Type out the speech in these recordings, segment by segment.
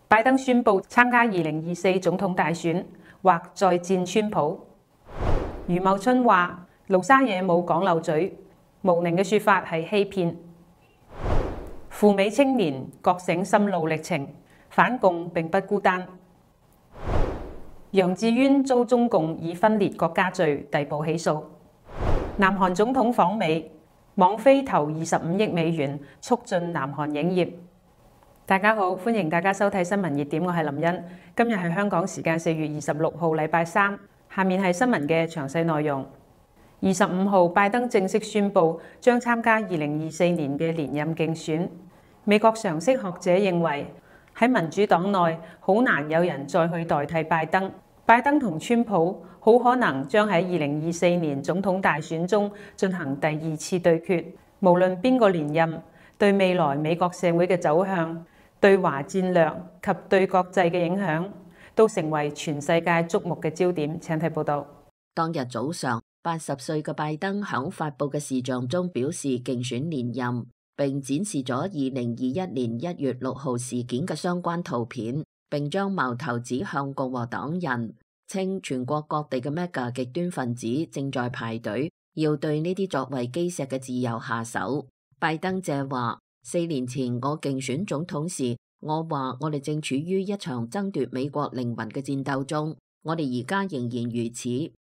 拜登宣布參加2024總統大選，或再戰川普。余茂春話：盧沙野冇講漏嘴，無寧嘅說法係欺騙。赴美青年覺醒心路歷程，反共並不孤單。楊智淵遭中共以分裂國家罪逮捕起訴。南韓總統訪美，網飛投25億美元促進南韓影業。大家好，歡迎大家收睇新聞熱點，我係林茵。今日係香港時間4月26號，禮拜三。下面係新聞嘅詳細內容。25號，拜登正式宣布將參加2024年嘅連任競選。美國常識學者認為，喺民主黨內好難有人再去代替拜登。拜登同川普好可能將喺2024年總統大選中進行第二次對決。無論邊個連任，對未來美國社會嘅走向、對華戰略及對國際嘅影響，都成為全世界矚目嘅焦點。請睇報道。當日早上，80歲嘅拜登響發佈嘅視像中表示競選連任，並展示咗2021年1月6號事件嘅相關圖片，並將矛頭指向共和黨人，稱全國各地嘅 MAGA 極端分子正在排隊，要對呢啲作為基石嘅自由下手。拜登借話：4年前我競選總統時，我話我哋正處於一場爭奪美國靈魂嘅戰鬥中，我哋而家仍然如此。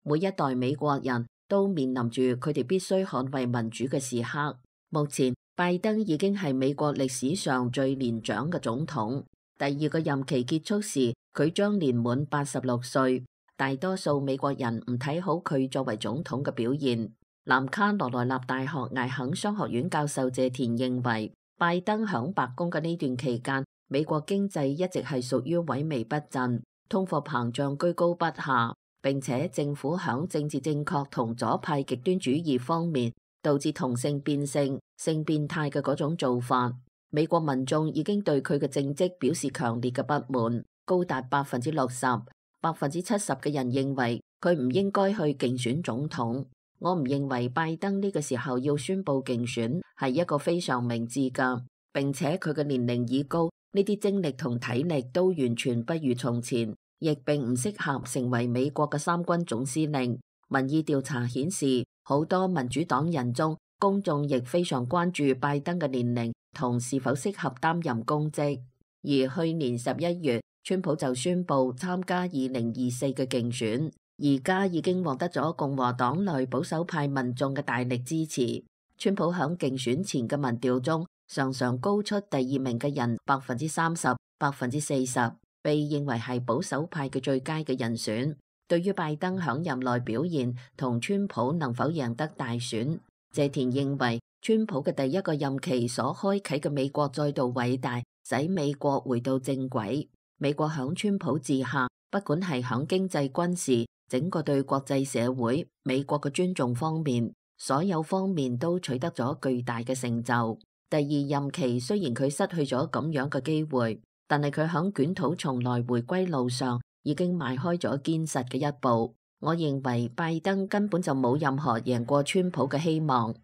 每一代美國人都面臨住佢哋必須捍衛民主嘅時刻。目前，拜登已經係美國歷史上最年長嘅總統。第二個任期結束時，佢將年滿86歲。大多數美國人唔睇好佢作為總統嘅表現。南卡羅來納大學艾肯商學院教授謝田認為，拜登響白宮嘅呢段期間，美國經濟一直係屬於萎靡不振，通貨膨脹居高不下，並且政府響政治正確同左派極端主義方面導致同性變性、性變態嘅嗰種做法。美國民眾已經對佢嘅政績表示強烈嘅不滿，高達60%、70%嘅人認為佢唔應該去競選總統。我唔認為拜登呢個時候要宣布競選係一個非常明智㗎，並且佢嘅年齡已高，呢啲精力同體力都完全不如從前，亦並唔適合成為美國嘅三軍總司令。民意調查顯示，好多民主黨人中，公眾亦非常關注拜登嘅年齡同是否適合擔任公職。而去年11月，川普就宣布參加2024嘅競選。而家已經獲得咗共和黨內保守派民眾嘅大力支持。川普響競選前嘅民調中，常常高出第二名嘅人30%、40%，被認為係保守派嘅最佳嘅人選。對於拜登響任內表現同川普能否贏得大選，謝田認為川普嘅第一個任期所開啟嘅美國再度偉大，使美國回到正軌。美國響川普治下，不管係響經濟、軍事，整個對國際社會、美國嘅尊重方面，所有方面都取得咗巨大嘅成就。第二任期雖然佢失去咗咁樣嘅機會，但係佢響捲土重來回歸路上已經邁開咗堅實嘅一步。我認為拜登根本就冇任何贏過川普嘅希望。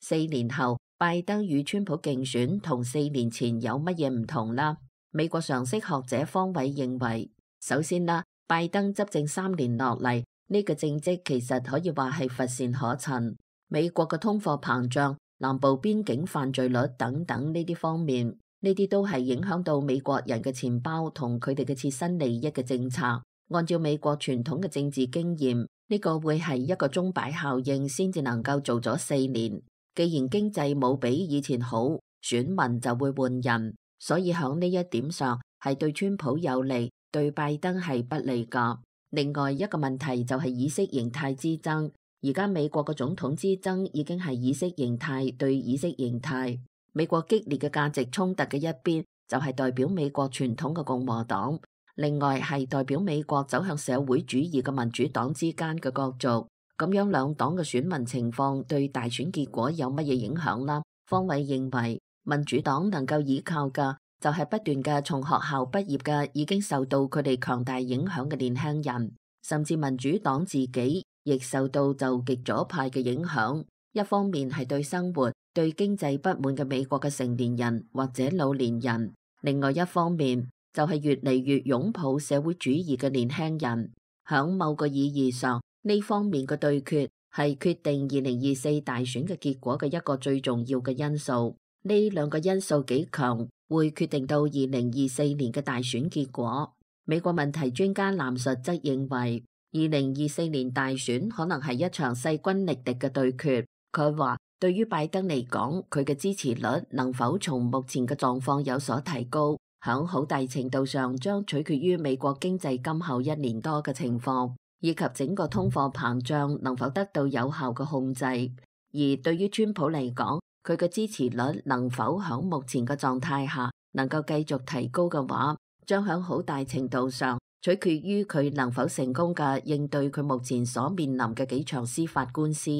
4年後，拜登與川普競選同4年前有乜嘢唔同啦？美國常識學者方偉認為，首先啦，拜登執政3年落嚟，呢個政績其實可以話係乏善可陳。美國嘅通貨膨脹、南部邊境犯罪率等等呢啲方面，呢啲都係影響到美國人嘅錢包同佢哋嘅切身利益嘅政策。按照美國傳統嘅政治經驗，呢個會係一個鐘擺效應先至能夠做咗4年。既然經濟冇比以前好，選民就會換人，所以響呢一點上係對川普有利，對拜登係不利㗎。另外一個問題就係意識形態之爭。而家美國嘅總統之爭已經係意識形態對意識形態。美國激烈嘅價值衝突嘅一邊就係代表美國傳統嘅共和黨，另外係代表美國走向社會主義嘅民主黨之間嘅角逐。咁樣兩黨嘅選民情況對大選結果有乜嘢影響啦？方偉認為民主黨能夠依靠嘅就係不斷嘅從學校畢業嘅已經受到佢哋強大影響嘅年輕人，甚至民主黨自己亦受到就極左派嘅影響。一方面係對生活、對經濟不滿嘅美國嘅成年人或者老年人，另外一方面就係越嚟越擁抱社會主義嘅年輕人。響某個意義上，呢方面嘅對決係決定2024大選嘅結果嘅一個最重要嘅因素。呢兩個因素幾強，會決定到2024年嘅大選結果。美國問題專家藍述則認為，2024年大選可能係一場勢均力敵嘅對決。佢話，對於拜登嚟講，佢嘅支持率能否從目前嘅狀況有所提高，響好大程度上將取決於美國經濟今後1年多嘅情況，以及整個通貨膨脹能否得到有效嘅控制。而對於川普嚟講，佢嘅支持率能否響目前嘅狀態下能夠繼續提高嘅話，將響好大程度上取決於佢能否成功嘅應對佢目前所面臨嘅幾場司法官司。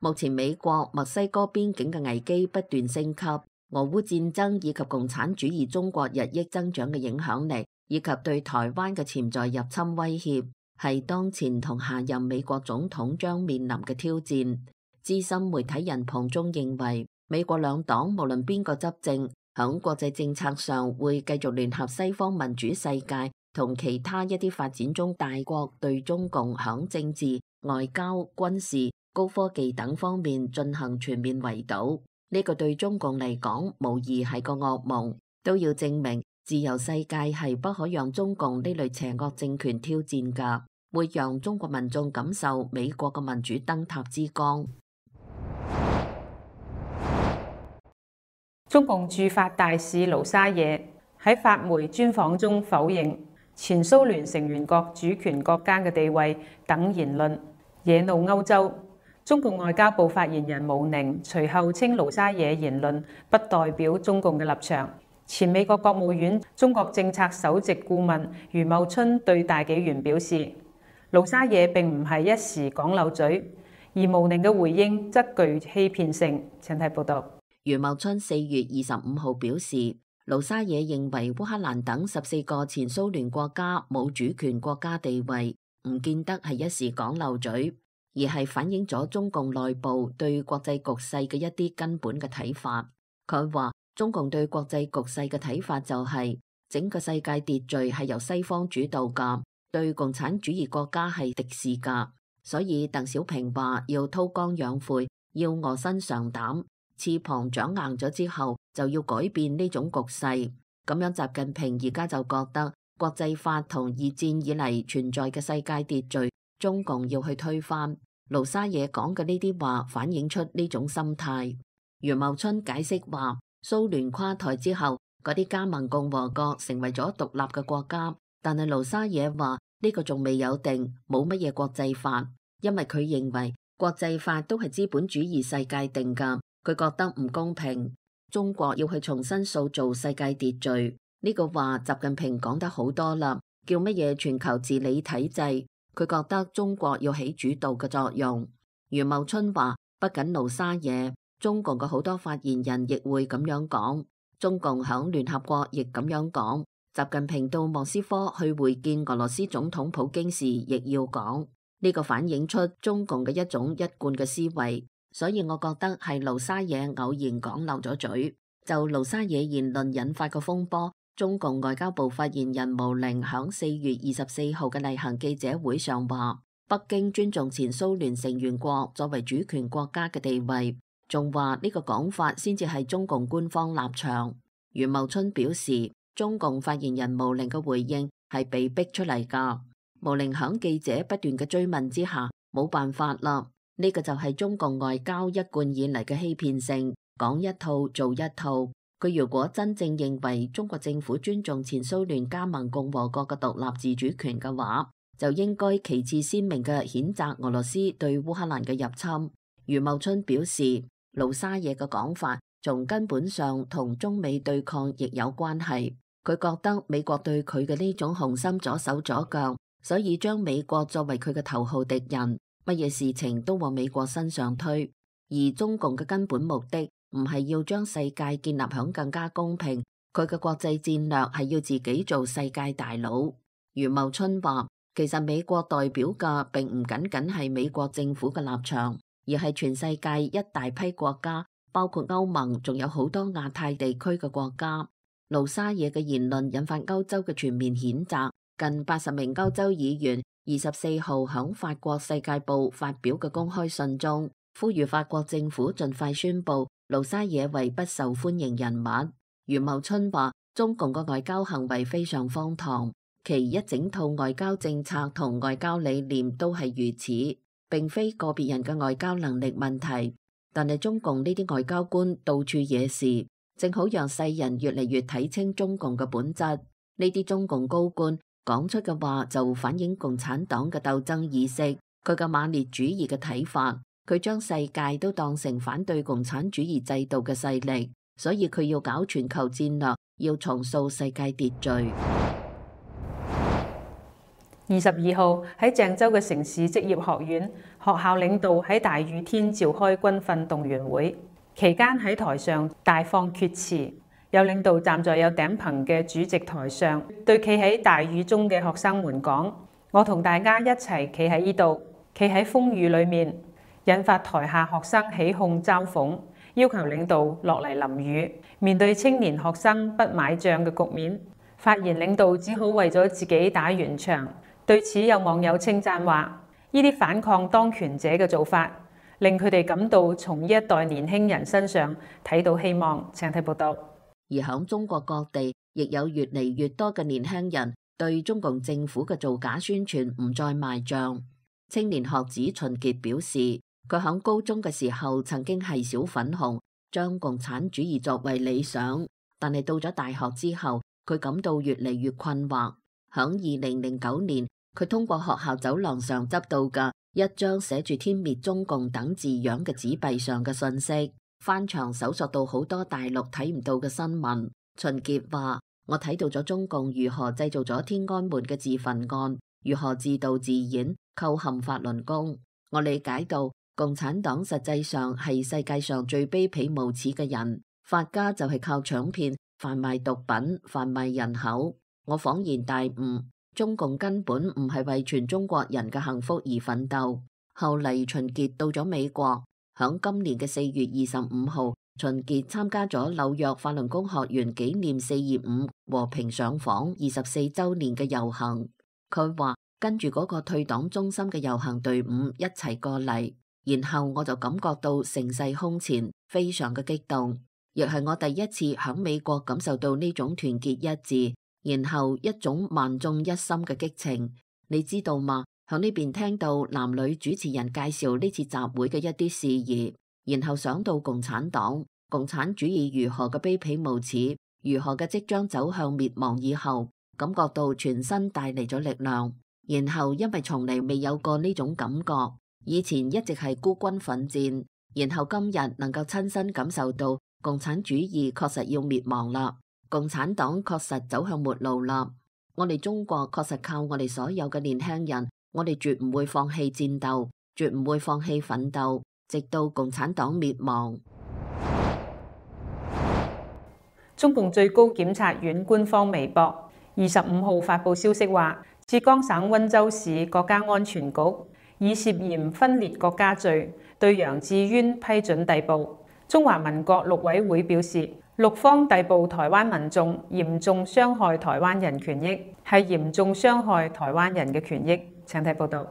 目前美國墨西哥邊境嘅危機不斷升級，俄烏戰爭以及共產主義中國日益增長嘅影響力，以及對台灣嘅潛在入侵威脅，係當前同下任美國總統將面臨嘅挑戰。資深媒體人龐中認為，美國兩黨無論邊個執政，響國際政策上會繼續聯合西方民主世界同其他一啲發展中大國對中共響政治、外交、軍事、高科技等方面進行全面圍堵。呢個對中共嚟講無疑係個噩夢，都要證明自由世界係不可讓中共呢類邪惡政權挑戰㗎，會讓中國民眾感受美國嘅民主燈塔之光。中共駐法大使盧沙野喺法媒專訪中否認前蘇聯成員國主權國家嘅地位等言論，惹怒歐洲。中共外交部發言人毛寧隨後稱盧沙野言論不代表中共嘅立場。前美國國務院中國政策首席顧問余茂春對大紀元表示，盧沙野並唔係一時講漏嘴，而毛寧嘅回應則具欺騙性。請睇報道。余茂春4月25號表示，盧沙野認為烏克蘭等14個前蘇聯國家冇主權國家地位，唔見得係一時講漏嘴，而係反映咗中共內部對國際局勢嘅一啲根本嘅睇法。佢話中共對國際局勢嘅睇法就係整個世界秩序係由西方主導噶，對共產主義國家係敵視噶。所以鄧小平話要韜光養晦，要臥薪嘗膽，翅膀長硬咗之後就要改變呢種局勢。咁樣習近平而家就覺得國際法同二戰以嚟存在嘅世界秩序，中共要去推翻。盧沙野講嘅呢啲話反映出呢種心態。余茂春解釋話，蘇聯垮台之後，嗰啲加盟共和國成為咗獨立嘅國家，但係盧沙野話呢個仲未有定，冇乜嘢國際法，因為佢認為國際法都係資本主義世界定㗎，佢覺得唔公平。中國要去重新塑造世界秩序，呢個話習近平講得好多啦，叫乜嘢全球治理體制，佢覺得中國要起主導嘅作用。余茂春話，不僅盧沙野，中共嘅好多發言人亦會咁樣講，中共響聯合國亦咁樣講，習近平到莫斯科去會見俄羅斯總統普京時亦要講，呢個反映出中共嘅一種一貫嘅思維。所以我覺得係盧沙野偶然講漏咗嘴。就盧沙野言論引發嘅風波，中共外交部發言人毛寧響4月24號嘅例行記者會上話，北京尊重前蘇聯成員國作為主權國家嘅地位，仲話呢個講法先至係中共官方立場。余茂春表示，中共發言人毛寧嘅回應係被逼出嚟㗎。毛寧響記者不斷嘅追問之下，冇辦法啦。呢個就係中共外交一貫以嚟嘅欺騙性，講一套做一套。佢如果真正認為中國政府尊重前蘇聯加盟共和國嘅獨立自主權嘅話，就應該旗幟鮮明嘅譴責俄羅斯對烏克蘭嘅入侵。余茂春表示，盧沙野嘅講法從根本上同中美對抗亦有關係。佢覺得美國對佢嘅呢種雄心左手左腳，所以將美國作為佢嘅頭號敵人。乜嘢事情都往美國身上推，而中共嘅根本目的唔係要將世界建立響更加公平，佢嘅國際戰略係要自己做世界大佬。余茂春話，其實美國代表嘅並唔僅僅係美國政府嘅立場，而係全世界一大批國家，包括歐盟，仲有好多亞太地區嘅國家。盧沙野嘅言論引發歐洲嘅全面譴責。近80名歐洲議員24號響法國《世界報》發表嘅公開信中，呼籲法國政府盡快宣布盧沙野為不受歡迎人物。余茂春話：中共嘅外交行為非常荒唐，其一整套外交政策同外交理念都係如此，並非個別人嘅外交能力問題。但係中共呢啲外交官到處惹事，正好讓世人越嚟越睇清中共嘅本質。呢啲中共高官講出嘅話就反映共產黨嘅鬥爭意識，佢嘅馬列主義嘅睇法，佢將世界都當成反對共產主義制度嘅勢力，所以佢要搞全球戰略，要重塑世界秩序。22號喺鄭州嘅城市職業學院，學校領導喺大雨天召開軍訓動員會，期間喺台上大放厥詞，有領導站在有頂棚嘅主席台上，對企喺大雨中嘅學生們講：我同大家一齊企喺呢度，企喺風雨裏面，引發台下學生起哄嘲諷，要求領導落嚟淋雨。面對青年學生不買賬嘅局面，發言領導只好為咗自己打圓場。對此有網友稱讚話：呢啲反抗當權者嘅做法，令佢哋感到從呢一代年輕人身上睇到希望。請睇報道。而響中國各地，亦有越嚟越多嘅年輕人對中共政府嘅造假宣傳唔再賣賬。青年學子秦傑表示，佢響高中嘅時候曾經係小粉紅，將共產主義作為理想，但係到咗大學之後，佢感到越嚟越困惑。響2009年，佢通過學校走廊上執到嘅一張寫住天滅中共等字樣嘅紙幣上嘅信息，翻牆搜索到好多大陸睇唔到嘅新聞。秦傑話：我睇到咗中共如何製造咗天安門嘅自焚案，如何自導自演構陷法輪功。我理解到共產黨實際上係世界上最卑鄙無恥嘅人，發家就係靠搶騙、販賣毒品、販賣人口。我恍然大悟，中共根本唔係為全中國人嘅幸福而奮鬥。後嚟秦傑到咗美國，響今年嘅4月25號，秦傑參加咗紐約法輪功學員紀念425和平上訪24週年嘅遊行。佢話跟住嗰個退黨中心嘅遊行隊伍一齊過嚟，然後我就感覺到盛世空前，非常嘅激動，亦係我第一次響美國感受到呢種團結一致，然後一種萬眾一心嘅激情。你知道嗎？響呢邊聽到男女主持人介紹呢次集會嘅一啲事宜，然後想到共產黨、共產主義如何嘅卑鄙無恥，如何嘅即將走向滅亡以後，感覺到全身帶嚟咗力量。然後因為從嚟未有過呢種感覺，以前一直係孤軍奮戰，然後今日能夠親身感受到共產主義確實要滅亡啦。共產黨確實走向末路啦！我哋中國確實靠我哋所有嘅年輕人，我哋絕唔會放棄戰鬥，絕唔會放棄奮鬥，直到共產黨滅亡。中共最高檢察院官方微博25號發布消息話，浙江省溫州市國家安全局以涉嫌分裂國家罪對楊智淵批准逮捕。中華民國陸委會表示，陸方逮捕台灣民眾，嚴重傷害台灣人權益，係嚴重傷害台灣人嘅權益。請睇報道。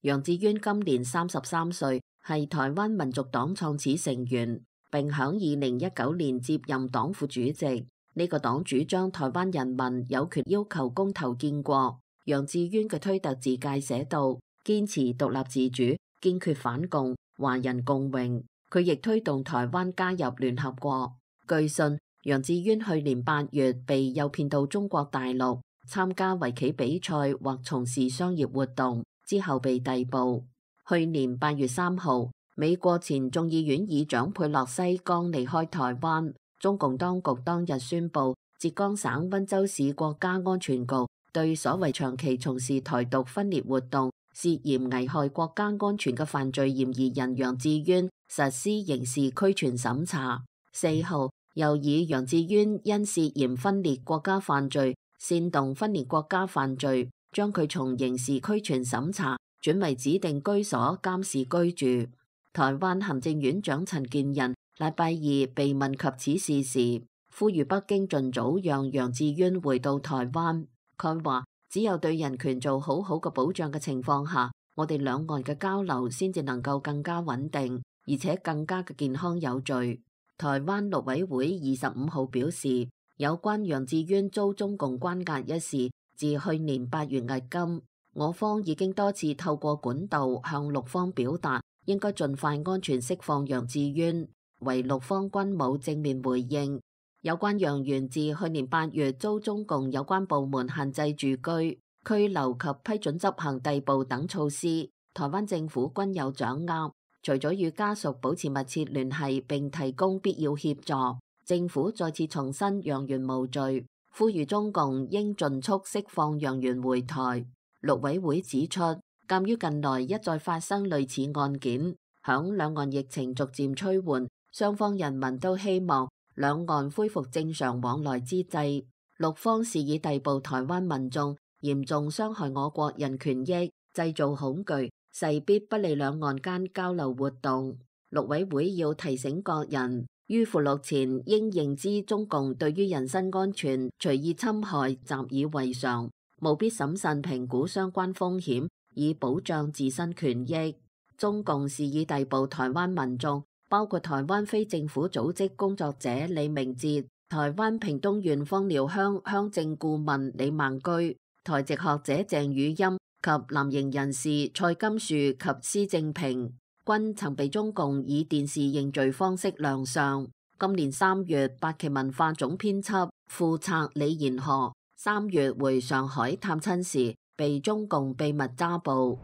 楊智淵今年33歲，係台灣民族黨創始成員，並響2019年接任黨副主席。呢個黨主張台灣人民有權要求公投建國。楊智淵嘅推特自介寫道：堅持獨立自主，堅決反共，華人共榮。佢亦推動台灣加入聯合國。據信，楊智淵去年8月被誘騙到中國大陸參加圍棋比賽或從事商業活動，之後被逮捕。去年8月3號，美國前眾議院議長佩洛西剛離開台灣，中共當局當日宣布，浙江省溫州市國家安全局對所謂長期從事台獨分裂活動、涉嫌危害國家安全嘅犯罪嫌疑人楊智淵實施刑事拘傳審查。4號，又以楊智淵因涉嫌分裂國家犯罪、煽動分裂國家犯罪，將佢從刑事拘傳審查轉為指定居所監視居住。台灣行政院長陳建仁禮拜二被問及此事時，呼籲北京盡早讓楊智淵回到台灣。佢話：只有對人權做好嘅保障嘅情況下，我哋兩岸嘅交流先至能夠更加穩定，而且更加嘅健康有序。台灣陸委會25號表示，有關楊智淵遭中共關押一事，自去年8月迄今，我方已經多次透過管道向陸方表達，應該盡快安全釋放楊智淵，為陸方均冇正面回應。有關楊元自去年8月遭中共有關部門限制住居、拘留及批准執行逮捕等措施，台灣政府均有掌握。除咗與家屬保持密切聯繫並提供必要協助，政府再次重申楊元無罪，呼籲中共應盡速釋放楊元回台。陸委會指出，鑑於近來一再發生類似案件，響兩岸疫情逐漸趨緩，雙方人民都希望兩岸恢復正常往來之際，陸方肆意逮捕台灣民眾，嚴重傷害我國人權益，製造恐懼，勢必不利兩岸間交流活動。陸委會要提醒各人，於赴陸前應認知中共對於人身安全隨意侵害習以為常，務必審慎評估相關風險，以保障自身權益。中共肆意逮捕台灣民眾，包括台灣非政府組織工作者李明哲、台灣屏東縣枋寮鄉鄉政顧問李孟居、台籍學者鄭宇欽及藍營人士蔡金樹及施正平，均曾被中共以電視認罪方式亮相。今年3月，八旗文化總編輯副策李賢河3月回上海探親時，被中共秘密抓捕。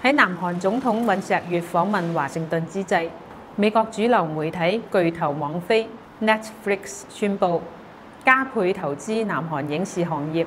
喺南韓總統尹錫悅訪問華盛頓之際，美國主流媒體巨頭網飛 Netflix 宣布加倍投資南韓影視行業，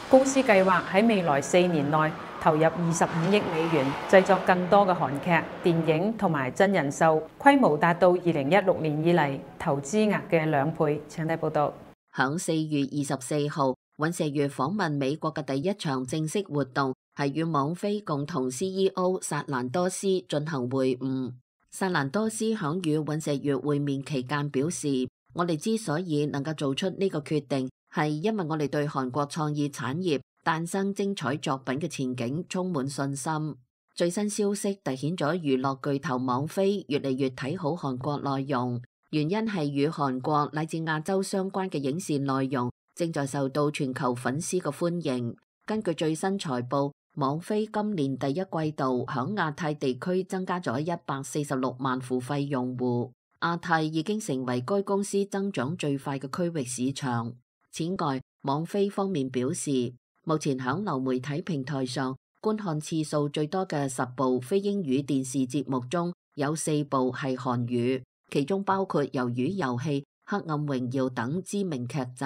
公司計劃喺未來4年內投入25億美元製作更多嘅韓劇、電影同埋真人秀，規模達到2016年以嚟投資額嘅2倍。請睇報道。響4月24號，尹錫悅訪問美國嘅第一場正式活動係與網飛共同 CEO 薩蘭多斯進行會晤。薩蘭多斯響與尹錫悅會面期間表示，我哋之所以能夠做出呢個決定，係因為我哋對韓國創意產業誕生精彩作品嘅前景充滿信心。最新消息凸顯咗娛樂巨頭網飛越嚟越睇好韓國內容，原因係與韓國乃至亞洲相關嘅影視內容正在受到全球粉絲嘅歡迎。根據最新財報，網飛今年第一季度響亞太地區增加咗146萬付費用戶，亞太已經成為該公司增長最快嘅區域市場。此外，網飛方面表示，目前響流媒體平台上觀看次數最多嘅10部非英語電視節目中，有4部係韓語，其中包括《魷魚遊戲》、《黑暗榮耀》等知名劇集。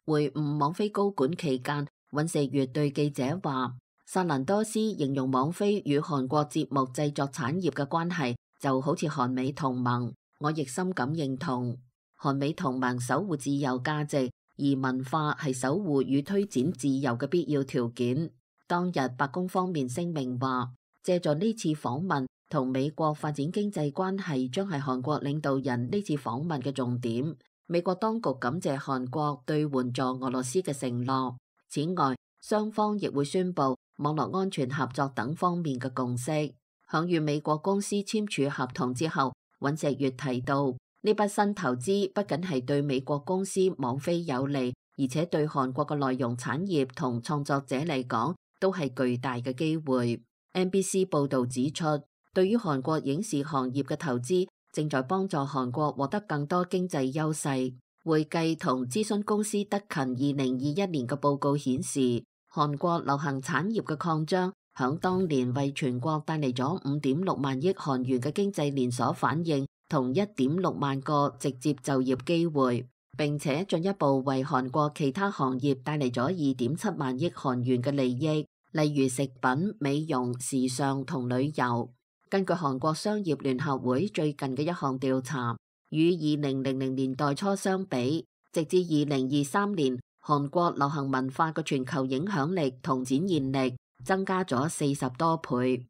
會晤網飛高管期間，尹錫悅對記者話，薩蘭多斯形容網飛與韓國節目製作產業嘅關係就好似韓美同盟，我亦深感認同。韓美同盟守護自由價值，而文化係守護與推展自由嘅必要條件。當日白宮方面聲明話，借助呢次訪問同美國發展經濟關係將係韓國領導人呢次訪問嘅重點。美國當局感謝韓國對援助俄羅斯嘅承諾。此外，雙方亦會宣布網絡安全合作等方面嘅共識。響與美國公司簽署合同之後，尹錫悅提到，呢筆新投資不僅係對美國公司網飛有利，而且對韓國嘅內容產業同創作者嚟講都係巨大嘅機會。NBC 報導指出，對於韓國影視行業嘅投資正在幫助韓國獲得更多經濟優勢。會計同諮詢公司德勤2021年嘅報告顯示，韓國流行產業嘅擴張響當年為全國帶嚟咗5.6萬億韓元嘅經濟連鎖反應同1.6萬個直接就業機會，並且進一步為韓國其他行業帶嚟咗2.7萬億韓元嘅利益，例如食品、美容、時尚同旅遊。根據韓國商業聯合會最近嘅一項調查，與2000年代初相比，直至2023年，韓國流行文化嘅全球影響力同展現力增加咗40多倍。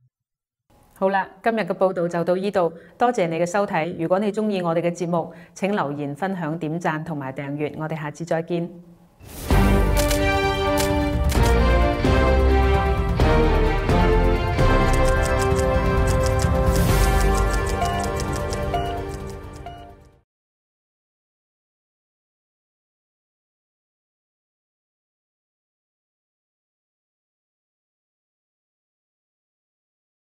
好啦，今日嘅報道就到呢度，多謝你嘅收睇。如果你鍾意我哋嘅節目，請留言、分享、點讚同埋訂閱。我哋下次再見。